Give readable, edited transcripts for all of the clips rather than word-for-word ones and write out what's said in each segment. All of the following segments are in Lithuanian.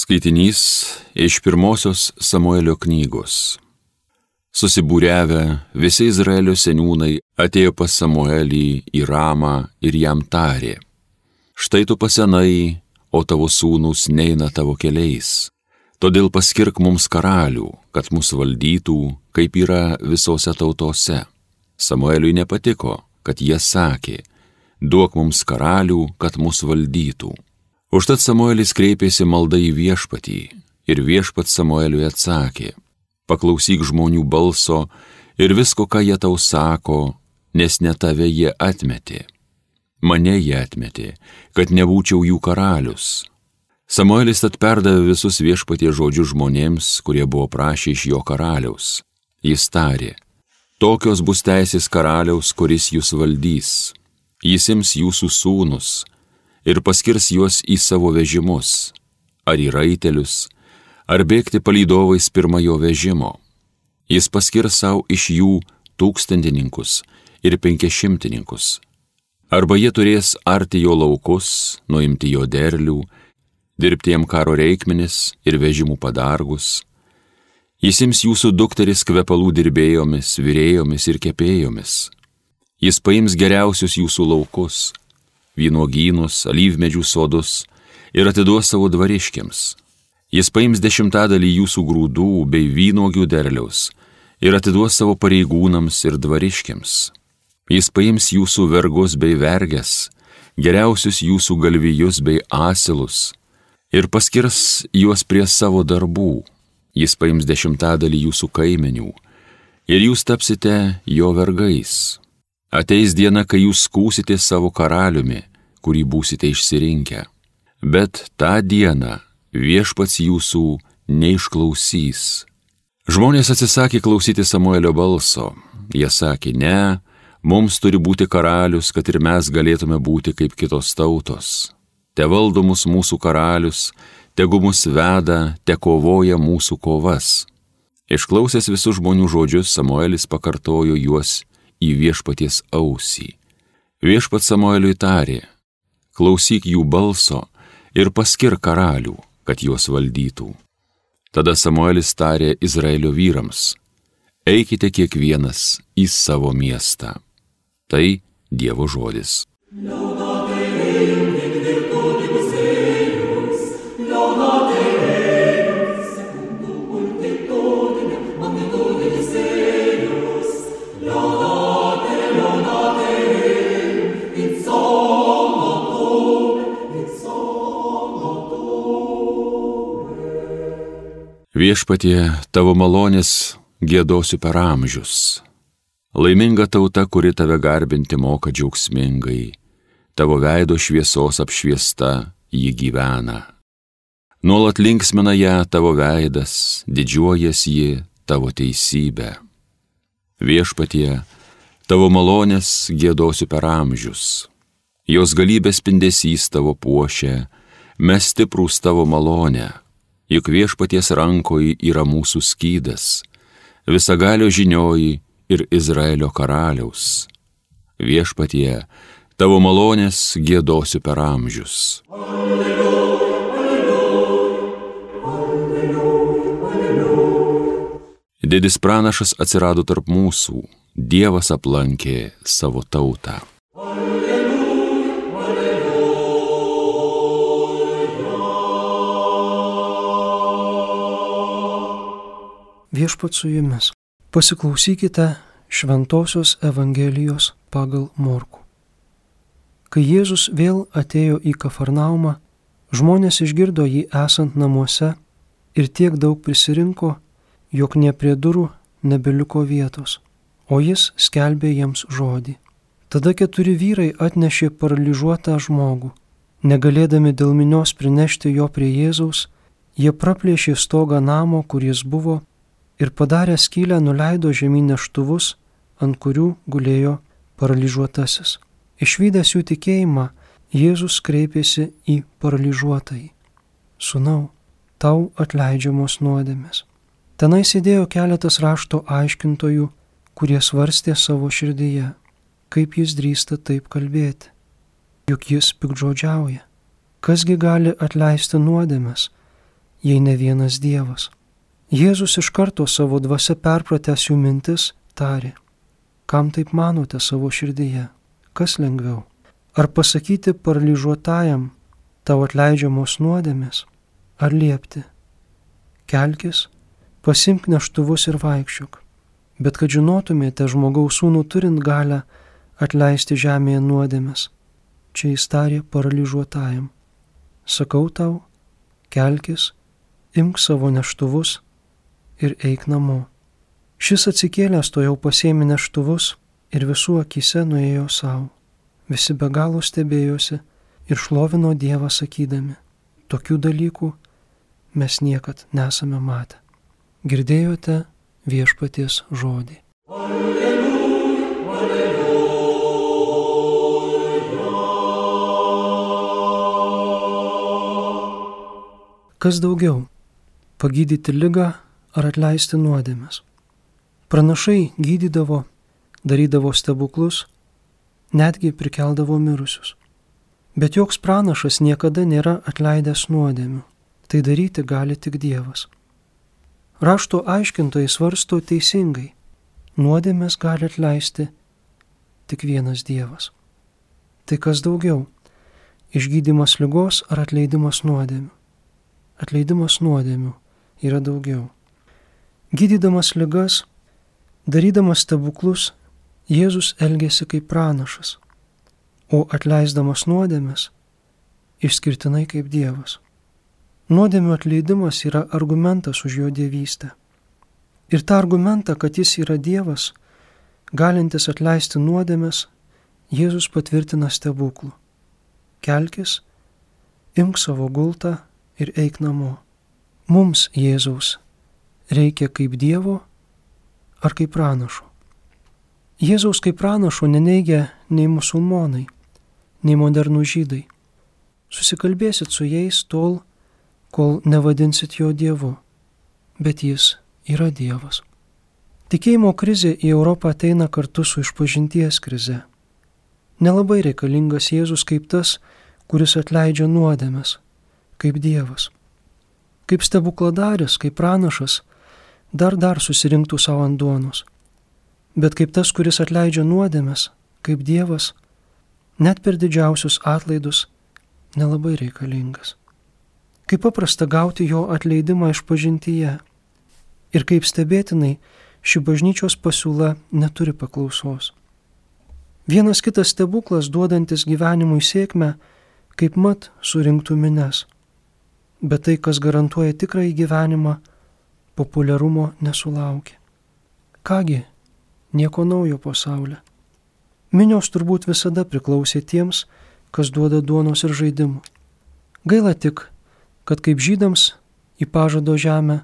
Skaitinys iš pirmosios Samuelio knygos. Susibūriavę visi Izraelio seniūnai atėjo pas Samuelį į Ramą ir jam tarė: Štai tu pasenai, o tavo sūnūs neina tavo keliais. Todėl paskirk mums karalių, kad mus valdytų, kaip yra visose tautose. Samueliui nepatiko, kad jie sakė: Duok mums karalių, kad mus valdytų. Užtat Samuelis kreipėsi malda į viešpatį, ir viešpats Samueliui atsakė: Paklausyk žmonių balso ir visko, ką jie tau sako, nes ne tave jie atmetė. Mane jie atmetė, kad nebūčiau jų karalius. Samuelis tad perdavė visus viešpaties žodžius žmonėms, kurie buvo prašę iš jo karaliaus. Jis tarė: Tokios bus teisės karaliaus, kuris jūs valdys. Jis ims jūsų sūnus ir paskirs juos į savo vežimus, ar į raitelius, ar bėgti palydovais pirmojo vežimo. Jis paskirs savo iš jų 1000 ir 500. Arba jie turės arti jo laukus, nuimti jo derlių, dirbti jam karo reikmenis ir vežimų padargus. Jis ims jūsų dukteris kvepalų dirbėjomis, virėjomis ir kepėjomis. Jis paims geriausius jūsų laukus, vynuogynus, alyvmedžių sodus ir atiduos savo dvariškiams. Jis paims 10% jūsų grūdų bei vynuogių derliaus ir atiduos savo pareigūnams ir dvariškiams. Jis paims jūsų vergus bei verges, geriausius jūsų galvijus bei asilus ir paskirs juos prie savo darbų. Jis paims 10% jūsų kaimenių ir jūs tapsite jo vergais. Ateis diena, kai jūs skųsite savo karaliumi, kurį būsite išsirinkę. Bet tą dieną viešpats jūsų neišklausys. Žmonės atsisakė klausyti Samuelio balso. Jie sakė: Ne, mums turi būti karalius, kad ir mes galėtume būti kaip kitos tautos. Te valdo mus mūsų karalius, tegu mus veda, te kovoja mūsų kovas. Išklausęs visus žmonių žodžius, Samuelis pakartojo juos į viešpaties ausį. Viešpats Samueliui tarė: Klausyk jų balso ir paskirk karalių, kad juos valdytų. Tada Samuelis tarė Izraelio vyrams: Eikite kiekvienas į savo miestą. Tai Dievo žodis. Viešpatie, tavo malonės giedosiu per amžius. Laiminga tauta, kuri tave garbinti moka džiaugsmingai, tavo veido šviesos apšviesta ji gyvena. Nuolat linksmina ją tavo veidas, didžiuojas ji tavo teisybę. Viešpatie, tavo malonės giedosiu per amžius. Jos galybės spindesys tavo puošia, mes stiprūs tavo malonę. Juk viešpaties rankoje yra mūsų skydas, visagalio žinioji ir Izraelio karaliaus. Viešpatie, tavo malonės giedosiu per amžius. Alleluja, alleluja, alleluja. Didis pranašas atsirado tarp mūsų, Dievas aplankė savo tautą. Viešpats su jumis. Pasiklausykite Šventosios Evangelijos pagal Morkų. Kai Jėzus vėl atėjo į Kafarnaumą, žmonės išgirdo jį esant namuose ir tiek daug prisirinko, jog nė prie durų nebeliko vietos, o jis skelbė jiems žodį. Tada 4 vyrai atnešė paralyžiuotą žmogų. Negalėdami dėl minios prinešti jo prie Jėzaus, jie praplėšė stogą namo, kur jis buvo, ir padarę skylę nuleido žemyn neštuvus, ant kurių gulėjo paralyžiuotasis. Išvydęs jų tikėjimą, Jėzus kreipėsi į paralyžiuotąjį: Sūnau, tau atleidžiamos nuodėmės. Tenai sėdėjo keletas rašto aiškintojų, kurie svarstė savo širdyje: kaip jis drįsta taip kalbėti, juk jis piktžodžiauja. Kasgi gali atleisti nuodėmes, jei ne vienas Dievas. Jėzus iš karto savo dvasia perpratęs jų mintis tarė: kam taip manote savo širdyje? Kas lengviau? Ar pasakyti paralyžiuotajam: tau atleidžiamos nuodėmės? Ar liepti: kelkis, pasimk neštuvus ir vaikščiok? Bet kad žinotumėte žmogaus sūnų turint galę atleisti žemėje nuodėmės, čia jis tarė paralyžiuotajam: sakau tau, kelkis, imk savo neštuvus ir eik namo. Šis atsikėlęs tojau pasiėmė neštuvus ir visų akyse nuėjo savo. Visi be galo stebėjosi ir šlovino Dievą sakydami: tokių dalykų mes niekad nesame matę. Girdėjote viešpaties žodį. Alleluja, alleluja. Kas daugiau - pagydyti ligą ar atleisti nuodėmes? Pranašai gydydavo, darydavo stebuklus, netgi prikeldavo mirusius. Bet joks pranašas niekada nėra atleidęs nuodėmių. Tai daryti gali tik Dievas. Rašto aiškintojai svarsto teisingai: nuodėmes gali atleisti tik vienas Dievas. Tai kas daugiau - išgydymas ligos ar atleidimas nuodėmių? Atleidimas nuodėmių yra daugiau. Gydydamas ligas, darydamas stebuklus, Jėzus elgėsi kaip pranašas, o atleisdamas nuodėmes išskirtinai kaip Dievas. Nuodėmių atleidimas yra argumentas už jo dievystę. Ir tą argumentą, kad jis yra Dievas, galintis atleisti nuodėmes, Jėzus patvirtina stebuklu: kelkis, imk savo gultą ir eik namo. Mums Jėzaus reikia kaip Dievo ar kaip pranašo? Jėzaus kaip pranašo neneigia nei musulmonai, nei modernų žydai. Susikalbėsit su jais tol, kol nevadinsit jo Dievu, bet jis yra Dievas. Tikėjimo krizė į Europą ateina kartu su išpažinties krize. Nelabai reikalingas Jėzus kaip tas, kuris atleidžia nuodėmes, kaip Dievas. Kaip stebukladaris, kaip pranašas, dar susirinktų savo ant duonos. Bet kaip tas, kuris atleidžia nuodėmes, kaip Dievas, net per didžiausius atlaidus nelabai reikalingas. Kaip paprasta gauti jo atleidimą išpažintyje ir kaip stebėtinai ši bažnyčios pasiūla neturi paklausos. Vienas kitas stebuklas duodantis gyvenimui sėkmę, kaip mat surinktų mines. Bet tai, kas garantuoja tikrąjį gyvenimą, populiarumo nesulaukia. Kągi, nieko naujo pasaulyje. Minios turbūt visada priklausė tiems, kas duoda duonos ir žaidimų. Gaila tik, kad kaip žydams į pažado žemę,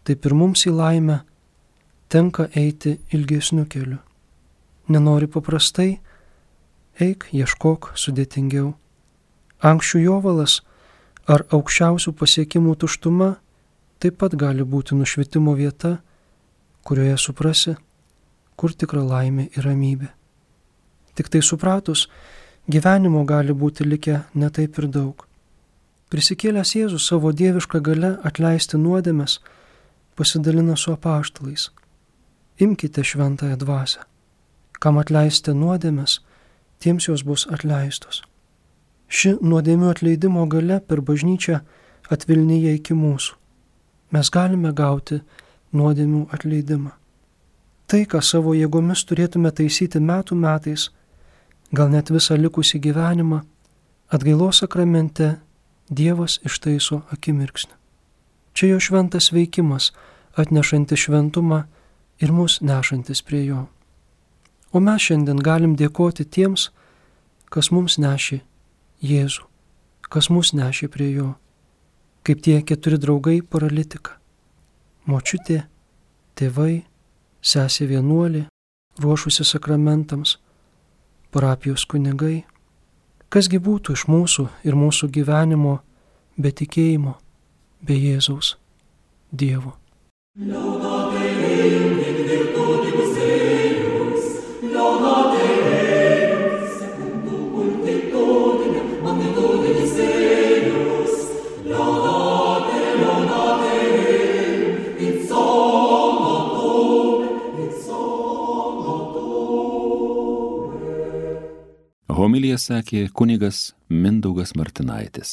taip ir mums į laimę tenka eiti ilgesniu keliu. Nenori paprastai, eik, ieškok sudėtingiau. Ankščių jovalas ar aukščiausių pasiekimų tuštuma taip pat gali būti nušvitimo vieta, kurioje suprasi, kur tikra laimė ir ramybė. Tik tai supratus, gyvenimo gali būti likę netaip ir daug. Prisikėlęs Jėzus savo dievišką gale atleisti nuodėmes pasidalina su apaštalais: imkite šventąją dvasią. Kam atleisite nuodėmes, tiems jos bus atleistos. Ši nuodėmių atleidimo gale per bažnyčią atvilnyja iki mūsų. Mes galime gauti nuodėmių atleidimą. Tai, ką savo jėgomis turėtume taisyti metų metais, gal net visą likusį gyvenimą, atgailos sakramente Dievas ištaiso akimirksnį. Čia jo šventas veikimas, atnešantis šventumą ir mus nešantis prie jo. O mes šiandien galim dėkoti tiems, kas mums nešė Jėzų, kas mus nešė prie jo, kaip tie 4 draugai paralitika. Močiutė, tėvai, sesė vienuolė, ruošusi sakramentams, parapijos kunigai. Kasgi būtų iš mūsų ir mūsų gyvenimo be tikėjimo, be Jėzaus Dievo. Laudate Deum in virtutis eius, laudate Deum secundum ultitudinem magnitudis eius, laudate Homiliją sakė kunigas Mindaugas Martinaitis.